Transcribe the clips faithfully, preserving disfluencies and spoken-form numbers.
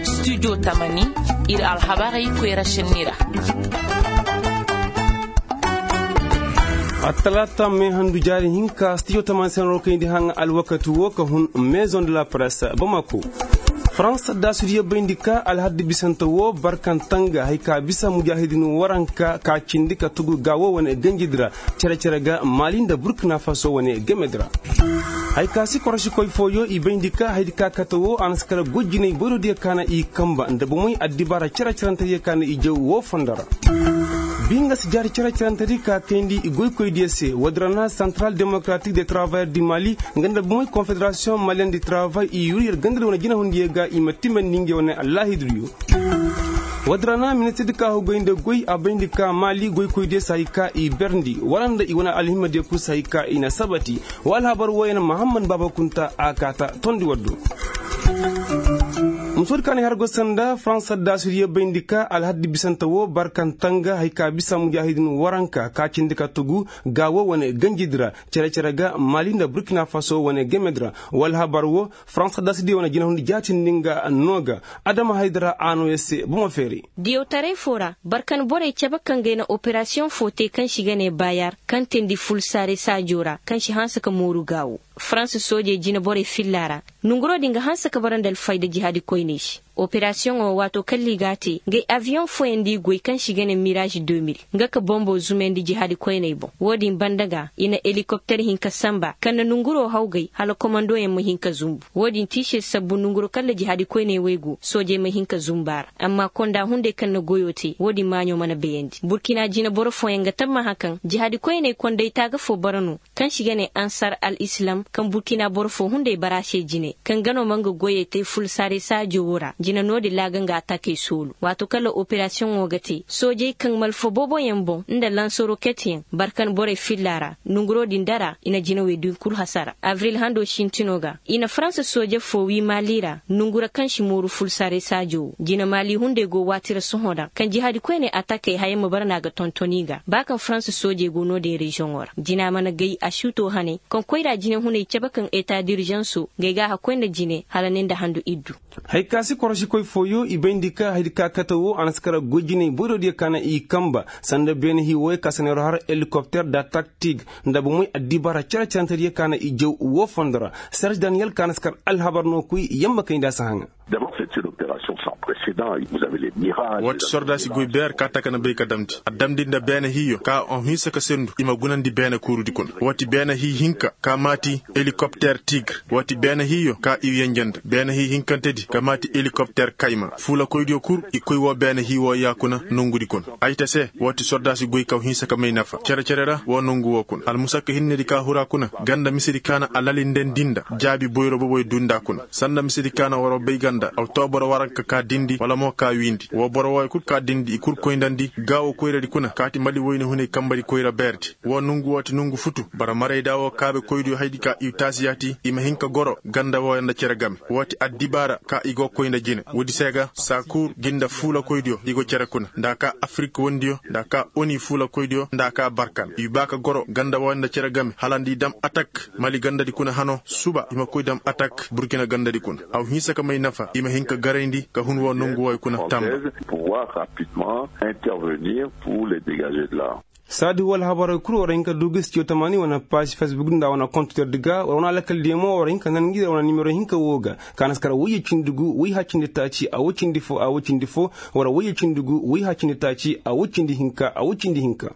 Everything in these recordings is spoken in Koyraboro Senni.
Studio tamani, ir alhabarey koyra šenni ra. Attalaata mee handu jaari hinka studio tamani se no kayndi haŋ alwakati wo ka hun. Maison de la presse bamako. Farans daasudiyo bayndi ka alhaddi bisante wo barkantanga hari ka bisa mujaahidin waranka ka cindi ka tugu gaawo wane ganjidi ra. Cere-cere ga maali nda burkina faso wane gamedi ra. Hari ka si korosikoy fooyo i bayndi ka haydi ka kate wo a na si kala goy jinay boyroodiyo ka na i kanba nda bomey addibaara cere-cerentediyo ka na i jaw woo fondo ra. Bi nga si jaari cere-cerentedi ka kayndi i goykoydiyo se woodi ra na central démocratique de travailleurs du mali nga nda bomey confédération malienne du travail i yur yer gandadi wane jinahundiyo ga i ma timandi ngey wane allaahidudiyo. Woodi ra na ministirdi ka hogay nda goy a bayndi ka maali goykoydiyo se hari ka i berndi wala nda i wane alhimmadiyo kul se hari ka i na sabati. Wa alhabar wooyaŋ mahammad baaba kunta a kaata tondi waddo. Musoodi ka na i har go sanda farans addaasudiyo bayndi ka alhaddi bisante woo barkantanga hari ka bisa mujaahidin waranka ka cindi ka tugu gaawo wane ganjidi ra. Cere-cere ga maali nda burkina faso wane gamedi ra. Wa alhabar woo farans addaasudiyo wane jinahundi jaatindi nga noo ga. Adama haydara a noo yer se bomo feeray. Diyawtaray foo ra barkan borey cabe kaŋ ga ay na operasiyoŋ foo te kaŋ se i ga ne bayar kaŋ teendi fulsaare saajo ra kaŋ se hanse ka mooru gaawo farans soojey jineborey filla ra. Nonguroo din ga hanse ka bara nda alfayda jihaadi koyney se. Operasiyoŋo waatoo kaŋ ligaa te ngay abiyoŋ fooyaŋ nda i goy kaŋ se i ga ne miraaž deux mille nga ka bombo zumandi jihaadi koyney boŋ. Woo din banda ga i na elikopter hinka sanba kaŋ na nonguroo hawgay hala komandoyaŋ ma hin ka zumbu. Woo din tiisir sabbu nonguroo kaŋ nda jihaadi koyney wey go soojey ma hin ka zumbu a ra. Amma konda hunday kaŋ na goyoo te woo din maaɲoo mana bayandi burkina jineboro fooyaŋ ga tammaha kaŋ jihaadi koyney konday taaga foo bara no kaŋ se i ga ne ansar al islam kaŋ burkina boro foo hunday bara a se jine kaŋ ga no ma nga goyey te fulsaare saajo woo ra jine no-din ra a ga nga atakey soolu waatoo kaŋ ra operasiyoŋo ga te soojey kaŋ malfa booboyaŋ boŋ nda lansoroketyaŋ barkan borey filla ra. Nonguroo din dara i na jinawey din kul hasara abril hando sintinoo ga i na faransa sooje foo wii maali ra nongu ra kaŋ si mooru fulsaarey saajo woo jine maali hunday go waati ra sohõ ra kaŋ jihaadi koyney atakey haya ma bara no a ga tonton i ga ba kaŋ faransa soojey go no-din reziyoŋo ra jina mana gay a si too haney kaŋ koyra jinehuney cabe kaŋ eta dirizansoo nga ay ga a hakkoy nda jine hala ne nda handu iddu. Haya ka si korosikoy fooyo i bayndi ka hayadi ka kate woo a na si kara goy jiney boyroodiyo ka na i kanba sanda beene hii wooyo ka si neeroo har elikopter da taktig nda bomey addibaara cere-cerentediyo ka na i jaw woo fondo ra. Serž daniyel ka na si kar alhabar no koy yamma kay nda a si haŋa. D'abord c'est une opération sans précédent. Woo ti sordaasi goy beer ka taka na bay ka damndi a damndi nda beene hiiyo ka a hinsa ka sendu i ma gunandi beene kuurudi kuna woo ti beene hii hinka ka maati elikopter tigre woo ti beene hiiyo ka i yenje nda beene hii hinkantedi ka maati elikopter kayma fuulakoydiyo kul i koy woo beene hii woo yaakuna nongudi kuna. Ay ta se woo ti sordaasi goy ka a hinsa ka may nafa cere-cere ra woo nongu woo kuna almusakka hinnedi ka hura kuna ganda misedi ka na a lalindandi nda jaabi boyro boboy dunda kuna sanda misedi ka na waroo bay ganda aw too boro waranka ka dindi wala mo ka wiindi woo boro wooyo kul ka dindi i kul koyndandi gaawo koyradi kuna kaati mali woyne hunay kanbadi koyra beerdi. Woo nongu woo ti nongu futu bara marayda woo kaabekoydiyo hayadi ka i taasi yaati i ma hin ka goro ganda wooyo nda cere game woo ti addibaara ka i go koy nda jine woodi se ga saakuur gi nda fuulakoydiyo i go cere kuna nda a ka afirik wondiyo nda a ka oni fuulakoydiyo nda a ka barkan i baa ka goro ganda wooyo nda cere game hala nda i dam atak mali gandadi kuna hano suba i ma koy dam atak burkina gandadi kuna aw hinsa ka may nafa i ma hin ka garayndi ka hun woo nongu wooyo kuna tamba. Saadi woo alhabarey kul war hin ka du ga studio tamaani wane paaz fesbuk nda wane kontitordi ga war wane alakaldiyo mo war hin ka nan ngi wane nimero hinka woo ga ka na si kar woyye cindi gu woy haya cindi taaci a woy cindi foo a woy cindi foo war woyye cindi gu woy haya cindi taaci a woy cindi hinka a woy cindi hinka.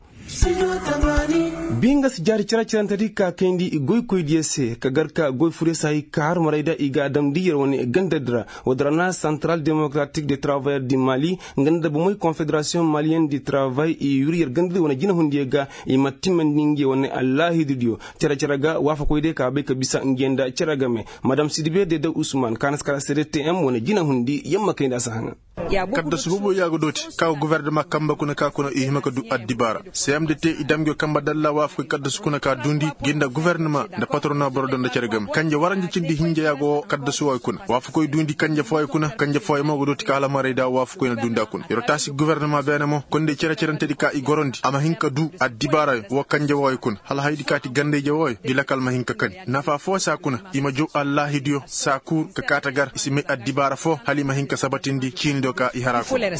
Bi nga si jaari cere-cerentedi ka kayndi i goykoydiyo se ka gar ka goy furyo se hay ka har marayda i ga a damndi yer wane gandadi ra. Woodi ra na santaral demokaratik de travayer di mali nga nda bomey konfederasiyoŋ maliyen di travay i yur yer gandadi wane jinahundiyo ga i ma timmandi ngey wane allaahidudiyo. Cere-cere ga waafakoydiyo ka bay ka bisa ngey nda cere game madam sidibe dede usman ka na si kar a cdtm wane jinahundi yamma kay nda a si haŋa. Kaddasu boboy ya go dooti ka go gofornama kanbe kuna ka kuna i hima ka duu addibaara. Seem de te i dam ngi yo kanbe dalla waafakoy kaddasu kuna ka duundi gi nda gofornama nda patrona boro do nda cere game kanje waranja cindi hinja ya go kaddasu wooyo kuna waafakoy duundi kanje fooyo kuna kanje fooyo mo go dooti ka hala marayda waafakoy na duundi a kuna yer wo taasi gofornama beene mo konday cere-cerentedi ka i gorondi a ma hin ka duu addibaarayoo woo kanje wooyo kuna hala hayadi ka ti gandayje wooyo ngi lakal ma hin ka kani nafa foo se a kuna i ma jow allaahidiyo saakuur ka kaa ta gar i si may addibaara foo hala i ma hin ka sabatindi ciinidiyo ka i haraa kuna.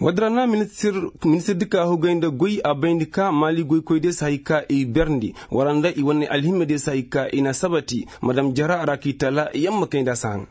Woodi ra na ministirdi ka hugay nda goy a bayndi ka maali goykoydiyo si hay ka i berndi wala nda i wane alhimmediyo si hay ka i na sabati madam jara a ra k'i tala yamma kay nda a si haŋa.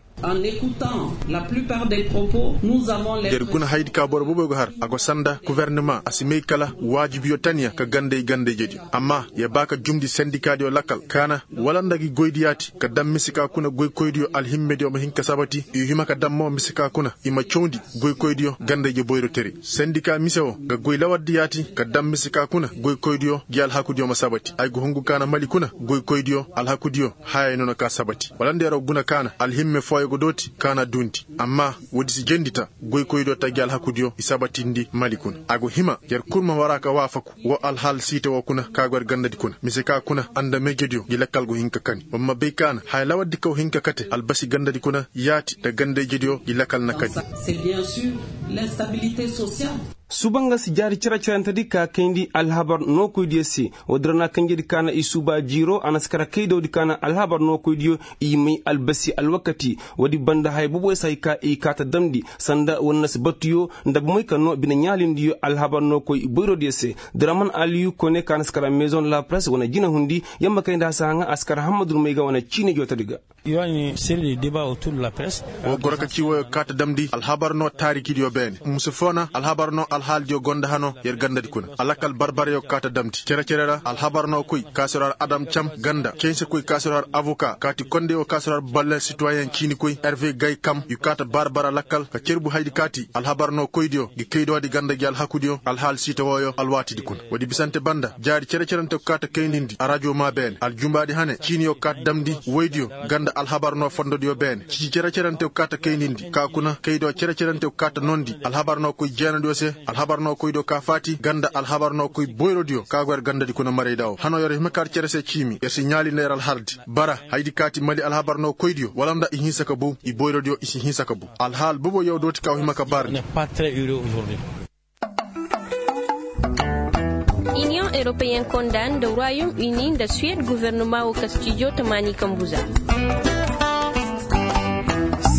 Yer guna hayadi ka boro boboy go har a go sanda gofornama a si may kala waajibiyo tanya ka ganday gandayjediyo amma yer ba ka jumndi sendikaadiyo lakal ka na wala nda gi goydi yaati ka dam mise ka kuna goykoydiyo alhimmediyo ma hin ka sabati i hima ka dam mo mise ka kuna i ma cawndi goykoydiyo gandayje boyrotere sendika mise woo ga goy lawardi yaati ka dam mise ka kuna goykoydiyo gi alhakudiyo ma sabati ay go hungu ka na mali kuna goykoydiyo alhakudiyo haya no na ka sabati wala nda yer guna ka na alhimme fooyo go dooti ka na duundi amma woodi si jendi ta goykoydiyo ta gi alhakudiyo i sabatindi mali kuna a go hima yer kul ma wara ka waafaku woo alhaal siita woo kuna ka go yer gandadi kuna mise ka kuna andameyjediyo gi lakkal go hin ka kani wa ma bay ka na haya lawardi kaw hin ka kate albasi gandadi kuna yaati nda gandayjediyo gi lakkal na kani. Suuba nga si jaari cere-cerentedi ka kayndi alhabar nookoydiyo se woodi ra na kanjedi ka na i suuba jiiro a na si kara kaydawdi ka na alhabar nookoydiyo i may albasi alwakati woodi banda haya boboyo si hay ka i kaa ta damndi sanda wannasi batuyo nda bomey ka noo bine ɲaalindiyo alhabar nookoy boyrodiyo se diraman aliyu kone ka na si kara maison de la presse wane jinahundi yamma kay nda a si haŋa a si kara hammadu may ga wane ciine jootodi ga. Woo goro ka ci woyo kaa ta damndi alhabar noo taarikidiyo beene musu foo na alhabar noo alhaalidiyo gonda hanoo yer gandadi kuna alakal barbarayoo kaa ta damndi cere-cere ra alhabar noo koy ka si ro har adam cam ganda cayse koy ka si ro har abuka kaati kondey woo ka si ro har balle sitoyen ciini koy herve gay kam yu kaa ta barbara lakkal ka cerbu haydi kaati alhabar noo koydiyo gi kaydoodi ganda gi alhakudiyo alhaal siita wooyo alwaatidi kuna woodi bisante banda jaari cere-cerante ko kaa ta kaydindi arajo maa beene aljumbaadi hane ciiniyo kaa ta damndi woydiyo ganda alhabar noo fondodiyo beene cici cere-cerante ko kaa ta kaydindi ka kuna kaydo cere-cerante ko kaa ta nondi alhabar noo koy jeenadiyo se alhabar noo koydiyo ka faati ganda alhabar noo koy boyrodiyo ka go yer gandadi kuna marayda woo hanoo yer hima ka yer cere se ciimi yer si ɲaali nda yer alhaldi bara hayadi kaati mali alhabar noo koydiyo wala nda i hinsa ka bow i boyrodiyo i si hinsa ka bow alhaal boboyo dooti ka wa hima ka barndi. Iniyoŋ europeyen konda nda royom uni nda suwed gofornoma woo kastijo tamaani kambuza.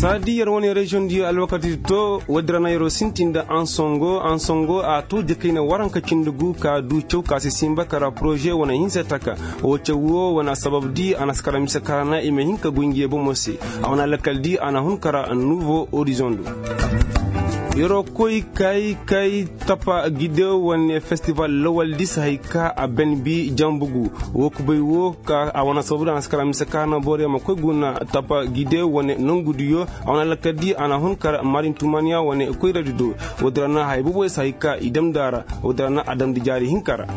Saadi yer wane reziyoŋ diyo alwakati to woodi ra na yeroo sinti nda ansongo ansongo a to jakayna waranka cindi gu ka duu caw ka si sinba kara poroze wane hinsa taka woo caw woo wane asabab di a na si kara mise ka ra na i ma hin ka goy ngi ye bomo se a wane alakal di a na hun kara nuuvo orizoŋ do. Yeroo koy kay kay tapa gide wane festival lawal di si hay ka a ben bi janbugu woo kubay woo ka a wane sababu di a na si kara mise ka na boro yaŋ ma koy guna tapa gide wane nongudiyo a wane alakal di a na hun kara marin tumaniya wane koyradi do. Woodi ra na haya boboy si hay ka i damndi a ra woodi ra na a damndi jaari hinka ra.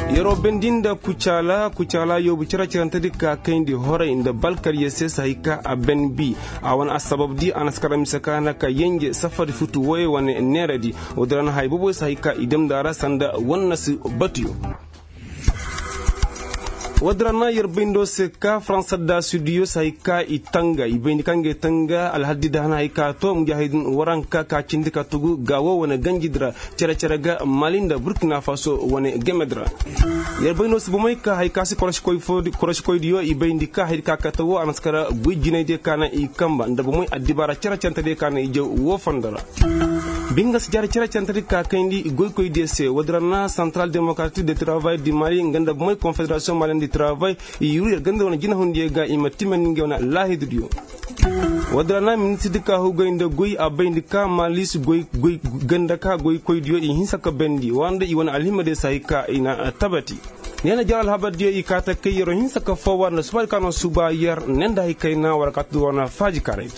Yeroo bendi nda kucaala kucaala yoobu cere-cerentedi ka kayndi horay nda balkarye se si hay ka a ben bi a wane assabab di a na si kara mise ka na ka yenje safari futu woyey wane neeradi. Woodi ra na haya boboy si hay ka i damndi a ra sanda wannasi batuyo. Woodi ra na yer bayndo se ka faransa da sudiyo si hay ka i tanga i bayndi ka ngey tanga alhaddi da hana hay ka to mujaahidin waranka ka cindi ka tugu ga woo wane ganjidi ra cere-cere ga mali nda burkina faso wane gemedi ra. Yer bay no si bomey ka hay ka si korosikoydiyo i bayndi ka haydi ka kate woo a na si kara goy jinaydiyo ka na i kanba nda bomey addibaara cere-cerentediyo ka na i jaw woo fondo ra. Binga si jaari cere-cerentediyo ka kayndi goykoydiyo se woodi ra na santaral demokratik de travay di mali nga nda bomey konfederasiyoŋ mali di travay i yuru yer ganda wane jinahundiyo ga i ma timandi ngey wane laahidudiyo. Woodi ra na ministirdi ka hugay nda goy a bayndi ka maalis goy ganda ka goykoydiyo i hinsa ka bendi wala nda i wane alhimmadiyo si hay ka i na tabati. Ne na jar alhabardiyo i kaa ta kay yeroo hinsa ka foo wala nda subaadi ka no suba yer ne nda hay kayna wala ka tudu wane faajikaray.